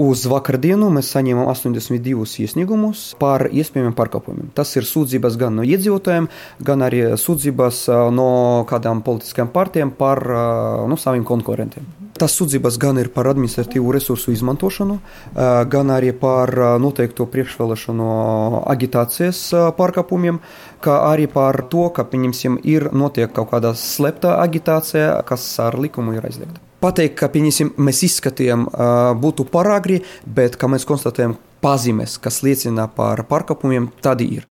Uz vakardienu mēs saņēmām 82 iesniegumus par iespējamiem pārkāpumiem. Tas ir sūdzības gan no iedzīvotājiem, gan arī sūdzības no kādām politiskām partijām par saviem konkurentiem. Tas sūdzības gan ir par administratīvu resursu izmantošanu, gan arī par noteikto priekšvēlēšanu agitācijas pārkāpumiem, kā arī par to, ka, pieņemsim, notiek kaut kāda slepta agitācija, kas ar likumu ir aizliegta. Pateikt, ka, pieņemsim, mēs izskatījām, būtu par agri, bet, kā mēs konstatējam, pazīmes, kas liecina par pārkāpumiem, tādi ir.